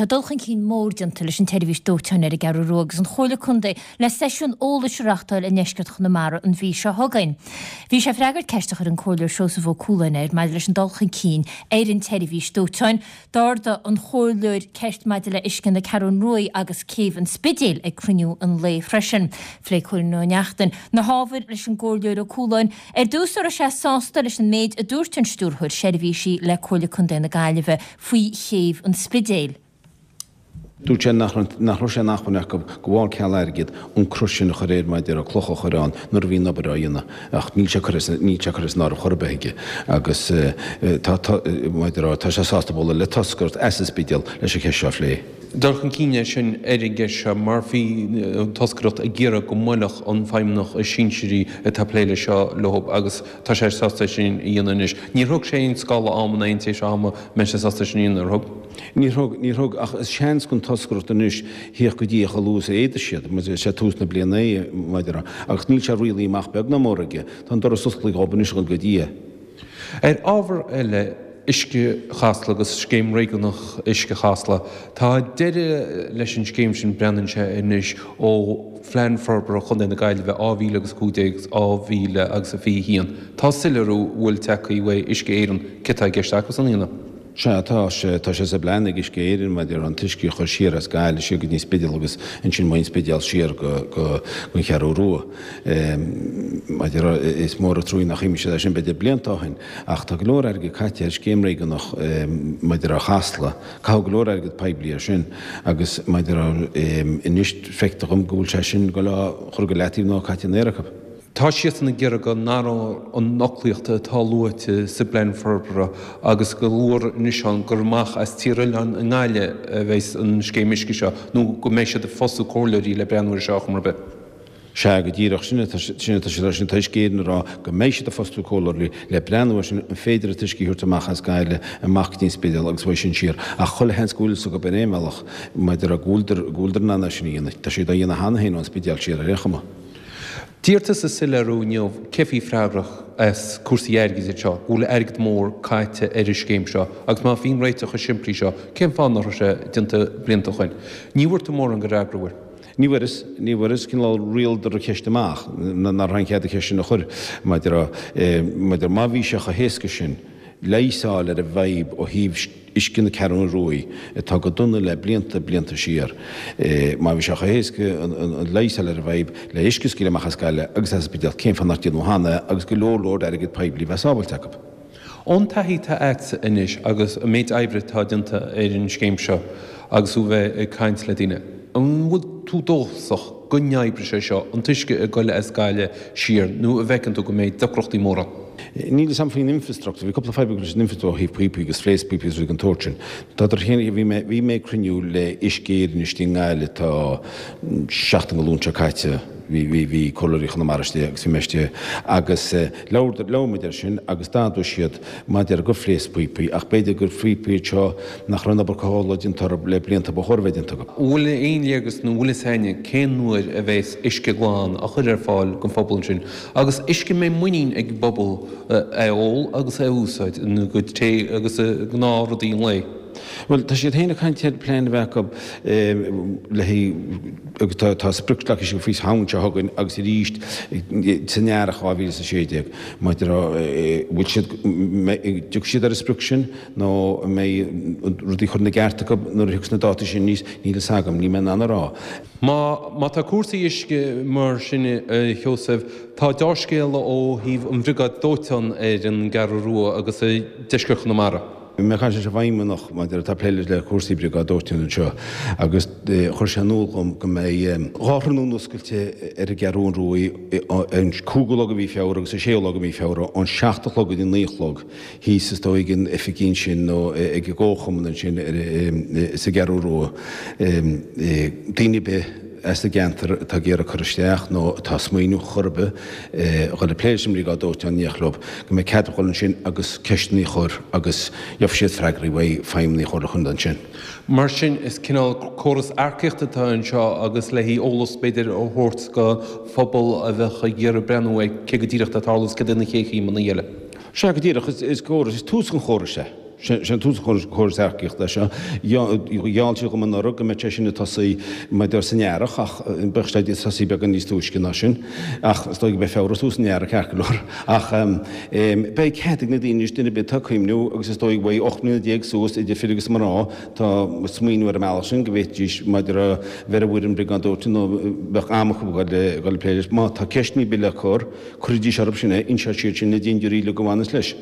Tá dul chun cinn mór déanta leis an tseirbhís dóiteáin ar an gCeathrú Rua agus an Chomhairle Contae le seisiún eolais a reáchtáil i ndeisceart Chonamara an mhí seo chugainn. Bhí sé ag freagairt ceist a chuir an Comhairleoir Seosamh Ó Cualáin air maidir leis an dul chun cinn ar an tseirbhís dóiteáin. D'ardaigh an Comhairleoir ceist maidir le uisce na Ceathrún Ruaidh agus Céibh an Spidéil ag cruinniú an lae freisin. Phléigh Cóilín Ó Neachtain na hábhair leis an gComhairleoir Ó Cualáin. Ar dtús, an raibh sé sásta leis an méid a dúirt an Stiúrthóir Seirbhísí le Comhairle Contae na Gaillimhe faoi Chéibh an Spidéil. Dúirt sé nach raibh sé in acmhainn acu gabháil ceal airgid an cruth sin a chur air mar a déarfá clocha a chur ann nuair a bhí an obair á dhéanamh ach níl sé curtha níl sé curtha san áireamh chor ar bith aige agus tá mar a déarfá tá sé sásta bualadh le toscaireacht as an Spidéal leis an cheist seo a phlé. Dul chun cinn é sin ar an gceist seo mar bhí an toscaireacht ag iarraidh go mbuailfeadh an feidhmeannach is sinsearaí atá ag plé leis seo leo agus Tá sé sásta é sin a dhéanamh anois. Níor thug sé aon scála ama ná aon tréimhse ama a mbeidh sé sásta é sin a dhéanamh, ar thug? Níor thug, níor thug, ach is seans don toscaireacht anois theacht go dtí é chomh luath is a fhéadas siad, mar is é tús na bliana é, mar a déarfá, agus níl sé rialaithe amach beag ná mór aige. Tá an doras oscailte dhóibh anois a dhul go dtí é. Ar ábhar eile, Uisce Chasla agus Scéim Réigiúnach Uisce Chasla, tá deireadh leis an scéim sin, breathnaíonn sé anois, ó Phlean Forbartha Chontae na Gaillimhe 2015 2021. Tá soiléiriú bhfuil tagtha uaidh Uisce Éireann cé tá i gceist acusan a dhéanamh. Sea, tá sé, tá sé sa bplean ag Uisce Éireann maidir an t-uisce a chur siar as Gaillimh siar go dtí an Spidéal agus ansin ón Spidéal siar go, go, gon Cheathrú Rua. Maidir, is mór an truaí nach chuimhnigh siad air sin b'fhéidir blianta ó shin, ach tá go leor airgid caite ar scéim réigiúnach maidir le Chasla, caitheadh go leor airgead poiblí air sin agus maidir anois feictear dhom go bhfuil sé sin ag dul á chur go leataobh nó caite in aer acu. Tá siadsan ag iarraidh go n-athrófar an fhoclaíocht atá luaite sa bPlean Forbartha agus go luafar anois ann gur amach as Tír Oileáin i nGaillimh a bheas an scéim uisce seo nó go mbeidh siad ag fostú comhairleoirí le breathnú air seo ar chuma ar bith. Sea, go díreach, sin atá sin atá siad a rá, sin atá Uisce Éireann a rá, go mbeidh siad ag fostú comhairleoirí le breathnú air sin, an féidir an t-uisce a thabhairt amach as Gaillimh, amach go dtí an Spidéal agus uaidh sin siar. Ach chuile sheans go bhfuil fhios acu ar aon bhealach, maidir le go bhfuiltear, go bhfuiltear in ann é sin a dhéanamh. Tá siad á dhéanamh cheana féin ón Spidéal siar ar aon chuma. D'iarr tusa soiléiriú inniu cé bhí freagrach as cúrsaí airgid anseo, go bhfuil airgead mór caite ar an scéim seo agus má bhí an réiteach chomh simplí seo, cén fáth nach raibh sé déanta blianta ó shoin? Ní bhfuair tú mórán de fhreagra uaidh. Ní bhfuaireas, ní bhfuaireas, cineál rialaíodar an cheist amach, nach raibh aon chead an cheist sin a chur, maidir le, maidir, má bhí sé chomh héasca sin leigheas a fháil ar an bhfadhb ó thaobh uisce na Ceathrún Ruaidh, atá go dona le blianta, blianta siar, má bhí sé chomh héasca an leigheas a fháil ar an bhfadhb le uisce a scaoileadh amach as Gaillimh agus as an Spidéal, cén fáth nach déanadh cheana é agus go leor, leor airgead poiblí a bheith sábhailte acu. Ón taithí atá agatsa anois agus an méid oibre atá déanta ar an scéim seo agus tú a bheith ag caint le daoine, an bhfuil tú dóchasach go n-oibreoidh sé seo, an t-uisce ag goil as Gaillimh siar, nó an bhfeiceann tú go mbeidh deacrachtaí móra ann? Níl fhios a'm faoin infrastructúr, bhí cúpla fadhb leis an infrastructúr ó thaobh píopaí agus phléasc píopaí agus rudaí den tsórt sin. Tá féin, bhí mé, bhí mé ag cruinniú le Uisce Éireann istigh i nGaillimh tá seachtain go Luan seo caite, bhí, bhí, bhí Comhairleoirí Chonamara istigh agus bhí mé istigh agus Labhair, labhair muid air sin agus d'admhaigh siad maidir gur phléasc píopaí ach b'fhéidir gur phíopaí iad seo nach raibh an obair cothabhála déanta orthu le blianta ba chóir a bheith déanta acu. An bhfuil aon léargas nó an bhfuil fhios a'inne cén uair a bheas uisce glan á chur ar fáil don phobal ansin agus uisce a mbeidh muinín ag an bpobal é a ól agus é a úsáid ina gcuid tae agus i ngnáthrudaí an lae? Bhuel, tá siad féin ag caint ar plean a bheith acu le haghaidh, agus tá tá sprioc leagtha síos faoi Shamhain seo chugainn agus arís san earrach 2016. Maidir le bhfuil siad, dtiocfaidh siad ar an sprioc sin nó an mbeidh rudaí curtha ina gceart acu nuair a thiocfas na dátaí sin aníos, níl fhios agam, níl mé in ann a rá. Má má tá cúrsaí uisce mar sin a Sheosaimh, tá deá-scéala ó thaobh an bhriogáid dóiteáin ar an gCeathrú Rua agus i deisceart Chonamara. Bhí mé ag caint leis an bhfeidhmeannach maidir atá ag plé le cúrsaí briogáid dóiteáin anseo agus chuir sé in iúl dhom go mbeidh 2 thráthnóna oscailte ar an gCeathrú Ruaidh an 5ú lá de mhí Feabhra agus an 6ú lá de mhí Feabhra ón 7 a chlog go dtí 9 a chlog thíos is dóigh ag an oifigí ansin nó ag an gcomharchumann ansin sa gCeathrú Rua. Daoine ar bith as an gceantar atá ag iarraidh cur isteach nó atá ag smaoineamh chor ar bith a dhul ag plé leis an mbriogáid dóiteáin in éineacht leo, go mbeidh cead a dhul ansin agus ceisteanna a chur agus gheobhaidh siad freagraí uaidh feidhmeannaigh an Chomhairle Chontae ansin. Mar sin, is cineál córas earcaíochta atá anseo agus le haghaidh eolas b'fhéidir a thabhairt do phobal a bheadh ag iarraidh breathnú ar cé go díreach atá ag tarlú agus céard iad na chéad chéimeanna eile. Sea, go díreach, is córas, is tús an chórais é. Sé tús an chórais earcaíochta é seo. Gheall siad dhom anuraidh go mbeadh sé sin ag tosaí maidir san earrach ach beidh sé ag tosaí beagán níos túisce ná sin. Ach is dóigh go mbeidh Feabhra tús an earraigh ceart go leor. Ach beidh cead ag na daoine anois, duine ar bith atá ag cuimhniú agus is dóigh uaidh 18 mbliana suas idir fir agus mná atá ag smaoineamh ar an mbealach sin go bhféadfaidís maidir a bheith ar an bhfoireann Briogáid Dóiteáin nó bheadh am acu a dhul ag plé leis. Má tá ceisteanna ar bith le cur, cuirfidís orthu sin é, inseoidh siad sin na dindiúirí uilig a bhaineas leis.